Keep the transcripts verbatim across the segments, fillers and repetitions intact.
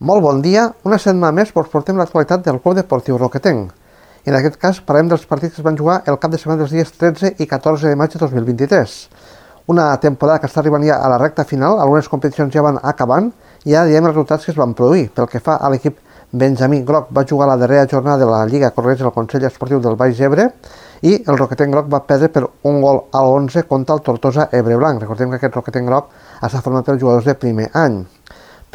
Molt bon dia, una setmana més us portem l'actualitat del Club Deportiu Roquetenc. En aquest cas parlem dels partits que es van jugar el cap de setmana dels dies tretze i catorze de maig de dos mil vint-i-tres. Una temporada que està arribant ja a la recta final, algunes competicions ja van acabant i ja diem els resultats que es van produir. Pel que fa a l'equip Benjamí Groc, va jugar la darrera jornada de la Lliga Correig del Consell Esportiu del Baix Ebre i el Roquetenc Groc va perdre per un gol a l'onze contra el Tortosa Ebreblanc. Recordem que aquest Roquetenc Groc està format per jugadors de primer any.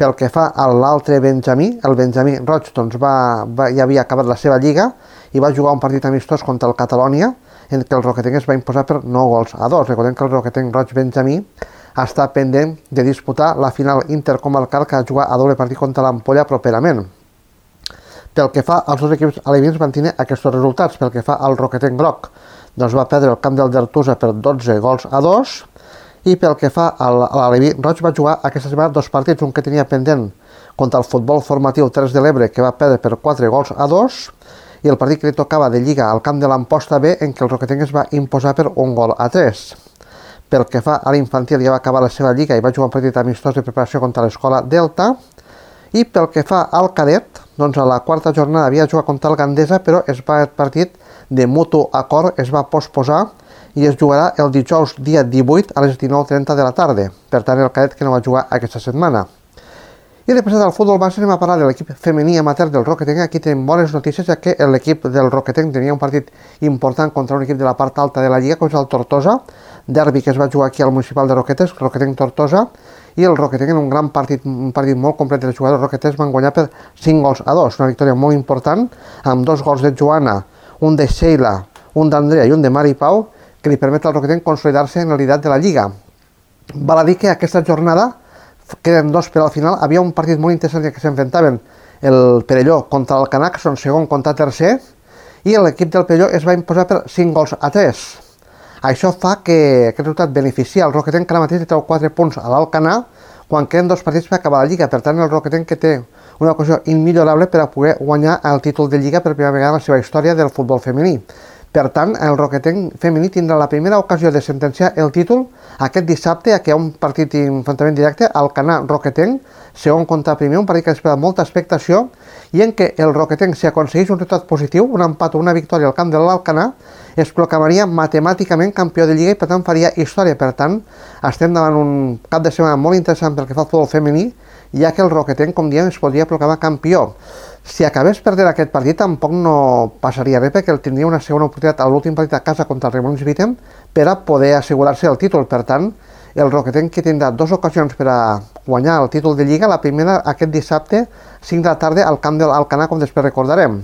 Pel que fa a l'altre Benjamí, el Benjamí Roig doncs va, va, ja havia acabat la seva lliga i va jugar un partit amistós contra el Catalònia en què el Roquetenc es va imposar per nou gols a dos. Recordem que el Roquetenc Roig Benjamí està pendent de disputar la final intercomarcal que ha jugat a doble partit contra l'Ampolla properament. Pel que fa als dos equips alevins van tenir aquests resultats. Pel que fa al Roquetenc Groc, doncs va perdre el camp del Dertusa per dotze gols a dos. I pel que fa a l'Aleví Roig va jugar aquesta setmana dos partits, un que tenia pendent contra el Futbol Formatiu Terres de l'Ebre, que va perdre per quatre gols a dos, i el partit que li tocava de Lliga al camp de l'Amposta B, en què el Roquetenc es va imposar per un gol a tres. Pel que fa a l'infantil, ja va acabar la seva Lliga i va jugar un partit amistós de preparació contra l'Escola Delta. I pel que fa al cadet, doncs a la quarta jornada havia jugat contra el Gandesa, però es va, el partit de mutu acord es va posposar i es jugarà el dijous dia divuit a les dinou trenta de la tarda. Per tant, el cadet que no va jugar aquesta setmana. I després del futbol base anem a parlar de l'equip femení amateur del Roquetenc. Aquí tenim bones notícies, ja que l'equip del Roquetenc tenia un partit important contra un equip de la part alta de la Lliga, com és el Tortosa, derbi que es va jugar aquí al municipal de Roquetes, Roquetenc-Tortosa, i el Roquetenc en un gran partit, un partit molt complet dels jugadors roqueters van guanyar per cinc gols a dos, una victòria molt important, amb dos gols de Joana, un de Sheila, un d'Andrea i un de Mari Pau, que li permet al Roquetenc consolidar-se en el liderat de la Lliga. Val a dir que aquesta jornada, queden dos per al final, havia un partit molt interessant que s'enfrontaven el Perelló contra el Canac, són segon contra tercer, i l'equip del Perelló es va imposar per cinc gols a tres. Això fa que aquest resultat beneficia el Roquetenc, que ara mateix treu quatre punts a l'Alcanar, quan queden dos partits per acabar la Lliga. Per tant, el Roquetenc que té una ocasió immillorable per a poder guanyar el títol de Lliga per primera vegada en la seva història del futbol femení. Per tant, el Roquetenc femení tindrà la primera ocasió de sentenciar el títol aquest dissabte, que hi ha un partit d'enfrontament directe, Alcanar-Roquetenc, segon contra primer, un partit que espera molta expectació, i en què el Roquetenc, si aconsegueix un resultat positiu, un empat o una victòria al camp de l'Alcanar, es proclamaria matemàticament campió de Lliga i per tant faria història. Per tant, estem davant un cap de setmana molt interessant pel que fa al futbol femení, ja que el Roquetenc, com diem, es podria proclamar campió. Si acabés perdent aquest partit tampoc no passaria res, perquè tindria una segona oportunitat a l'últim partit a casa contra el Remolins Vitem per a poder assegurar-se el títol. Per tant, el Roquetenc que tindrà dues ocasions per a guanyar el títol de Lliga, la primera aquest dissabte, cinc de la tarda, al camp de l'Alcanar, com després recordarem.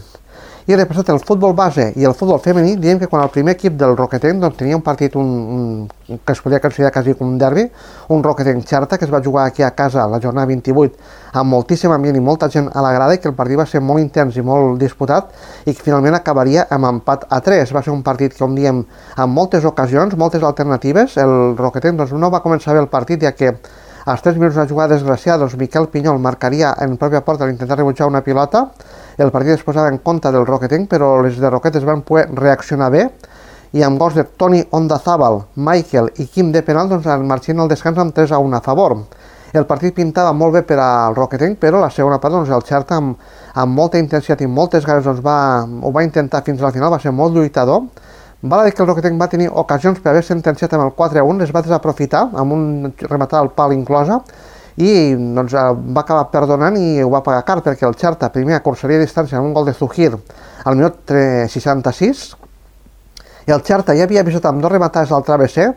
I després el futbol base i el futbol femení, diem que quan el primer equip del Roquetenc doncs, tenia un partit un, un, que es podria considerar quasi com un derbi, un Roquetenc-Xarta, que es va jugar aquí a casa la jornada vint-i-vuit amb moltíssim ambient i molta gent a la grada, i que el partit va ser molt intens i molt disputat i que finalment acabaria amb empat a tres. Va ser un partit, com diem, amb moltes ocasions, moltes alternatives. El Roquetenc doncs, no va començar bé el partit, ja que als tres minuts d'una jugada desgraciada, doncs Miquel Pinyol marcaria en pròpia porta al intentar rebutjar una pilota. El partit es posava en compte del Roquetenc, però les de Roquetes van poder reaccionar bé, i amb gols de Toni Ondazábal, Michael i Quim de penal, doncs marxen al descans amb tres a un a favor. El partit pintava molt bé per al Roquetenc, però la segona part, doncs, el Xerta, amb, amb molta intensitat i moltes ganes, doncs, va, ho va intentar fins al final, va ser molt lluitador. Val a dir que el Roquetenc va tenir ocasions per haver sentenciat amb el quatre a un, les va desaprofitar, amb un rematat al pal inclosa, i doncs, va acabar perdonant i ho va pagar car, perquè el Xerta primer acursaria distància amb un gol de Zujir al minut seixanta-sis, i el Xerta ja havia avisat amb dos rematades al travesser,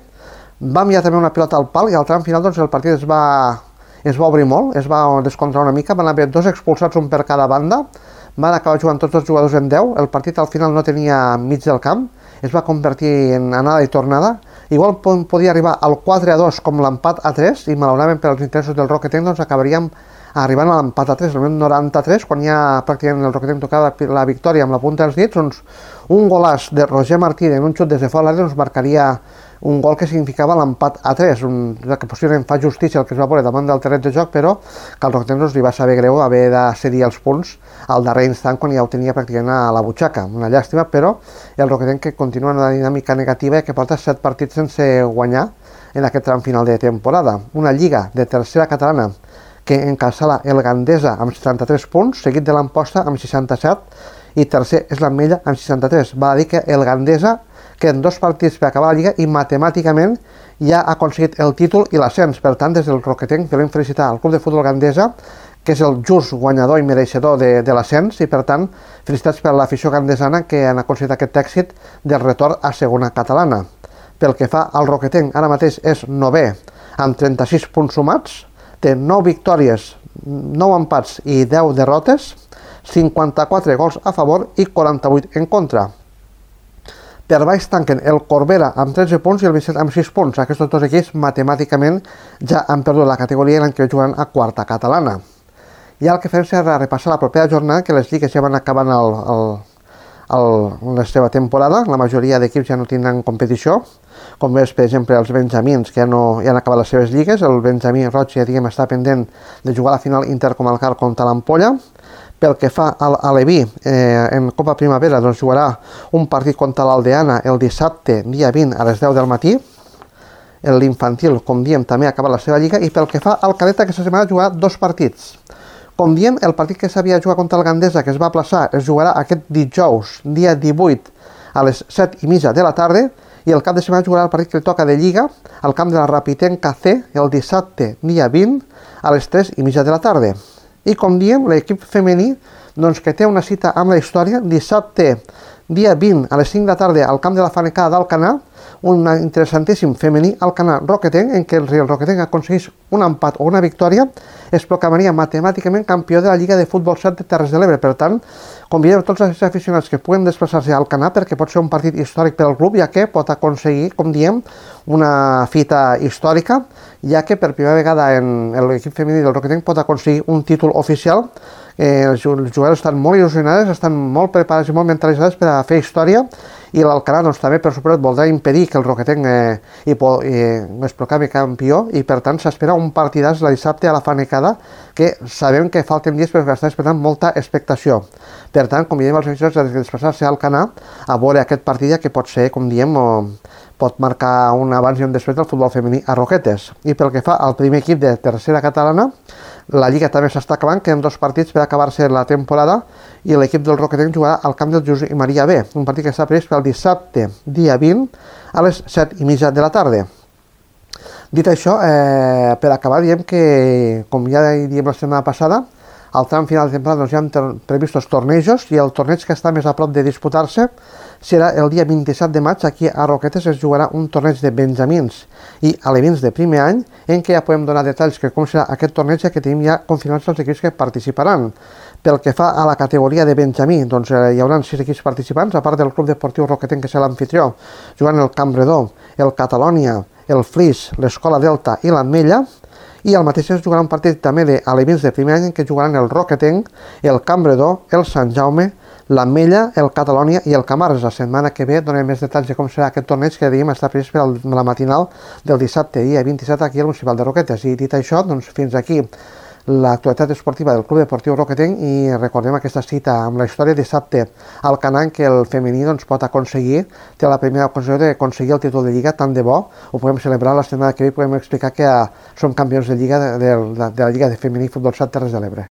va enviar també una pilota al pal, i al tram final doncs, el partit es va, es va obrir molt, es va descontrolar una mica, van haver dos expulsats, un per cada banda, van acabar jugant tots els jugadors en deu, el partit al final no tenia mig del camp, es va convertir en anada i tornada. Igual podia arribar al quatre a dos com l'empat a tres, i malauradament per als interessos del Roquetenc doncs acabaríem arribant a l'empat a tres, al minut noranta-tres, quan ja pràcticament el Roquetenc tocava la victòria amb la punta dels dits, doncs un golàs de Roger Martí en un xut des de fora l'àrea doncs marcaria un gol que significava l'empat a tres, un, que possiblement fa justícia el que es va veure davant del terreny de joc, però que al Roquetenc doncs, li va saber greu haver de cedir els punts al darrer instant quan ja ho tenia pràcticament a la butxaca. Una llàstima, però el Roquetenc que continua en una dinàmica negativa i que porta set partits sense guanyar en aquest tram final de temporada. Una lliga de tercera catalana que encasala el Gandesa amb setanta-tres punts, seguit de l'Amposta amb seixanta-set, i tercer és l'Ametlla amb seixanta-tres. Val a dir que el Gandesa queden dos partits per acabar la Lliga i matemàticament ja ha aconseguit el títol i l'ascens. Per tant, des del Roquetenc volem felicitar al Club de Futbol Gandesa, que és el just guanyador i mereixedor de, de l'ascens, i per tant, felicitats per l'afició gandesana que han aconseguit aquest èxit del retorn a segona catalana. Pel que fa al Roquetenc, ara mateix és novè, amb trenta-sis punts sumats, té nou victòries, nou empats i deu derrotes, cinquanta-quatre gols a favor i quaranta-vuit en contra. Per baix tanquen el Corbera amb tretze punts i el Vicent amb sis punts. Aquests dos equips matemàticament ja han perdut la categoria i l'any que juguen a quarta catalana. I el que fem serà repassar la propera jornada, que les lligues ja van acabant el, el, el, la seva temporada. La majoria d'equips ja no tindran competició, com és, per exemple, els benjamins, que ja, no, ja han acabat les seves lligues. El benjamí roig ja diguem, està pendent de jugar a la final intercomarcal contra l'Ampolla. Pel que fa a l'Aleví, eh, en Copa Primavera doncs, jugarà un partit contra l'Aldeana el dissabte, dia vint, a les deu del matí. L'infantil, com diem, també ha acabat la seva lliga. I pel que fa al cadet, aquesta setmana jugarà dos partits. Com diem, el partit que s'havia jugat contra el Gandesa, que es va aplaçar, es jugarà aquest dijous, dia divuit, a les set i mitja de la tarda, i el cap de setmana jugarà el partit que li toca de Lliga al camp de la Rapitenca C el dissabte, dia vint, a les tres i mitja de la tarda. I com diem, l'equip femení doncs, que té una cita amb la història, dissabte, dia vint, a les cinc de la tarda, al camp de la Fanecada d'Alcanar, un interessantíssim femení Alcanar Roquetenc, en què el Real Roquetenc aconsegueix un empat o una victòria, es proclamaria matemàticament campió de la Lliga de Futbol set de Terres de l'Ebre. Per tant, convidem tots els aficionats que puguen desplaçar-se a Alcanar, perquè pot ser un partit històric per al club, ja que pot aconseguir, com diem, una fita històrica, ja que per primera vegada en l'equip femení del Roquetenc pot aconseguir un títol oficial. Eh, els jugadors estan molt il·lusionats, estan molt preparats i molt mentalitzats per a fer història, i l'Alcanar doncs, també per suposat voldrà impedir que el Roquetenc eh, hi, hi, es proclami campió, i per tant s'espera un partidàs la dissabte a la Fanecada, que sabem que falten dies però que està esperant molta expectació. Per tant, convidem els aficionats a desplaçar-se a Alcanar a veure aquest partit, que pot ser, com diem, o pot marcar un abans i un després del futbol femení a Roquetes. I pel que fa al primer equip de tercera catalana, la Lliga també s'està acabant, queden dos partits per acabar-se la temporada, i l'equip del Roquetenc jugarà al camp del Josep Maria B, un partit que està previst pel dissabte, dia vint, a les set i mitja de la tarda. Dit això, eh, per acabar, diem que, com ja diem la setmana passada, al tram final de temporada doncs, ja han previstos tornejos, i el torneig que està més a prop de disputar-se serà el dia vint-i-set de maig. Aquí a Roquetes es jugarà un torneig de benjamins i alevins de primer any, en què ja podem donar detalls que com serà aquest torneig, ja que tenim ja confirmats els equips que participaran. Pel que fa a la categoria de benjamí, doncs eh, hi haurà sis equips participants, a part del Club Deportiu Roquetenc, que serà l'anfitrió, jugant el Campredó, el Catalònia, el Flix, l'Escola Delta i l'Ametlla. I al mateix temps jugarà un partit també d'alevins de primer any, en què jugaran el Roquetenc, el Campredó, el Sant Jaume, l'Ametlla, el Catalònia i el Camarles. La setmana que ve donem més detalls de com serà aquest torneig, que diguem està previst per la matinal del dissabte, dia vint-i-set, aquí al Municipal de Roquetes. I dit això, doncs fins aquí l'actualitat esportiva del Club Deportiu Roquetenc, i recordem aquesta cita amb la història dissabte al Canà, que el femení doncs, pot aconseguir, té la primera ocasió d'aconseguir el títol de Lliga, tant de bo, ho podem celebrar la setmana que ve i podem explicar que som campions de Lliga de, de, de la Lliga de Femení Futbol set Terres de l'Ebre.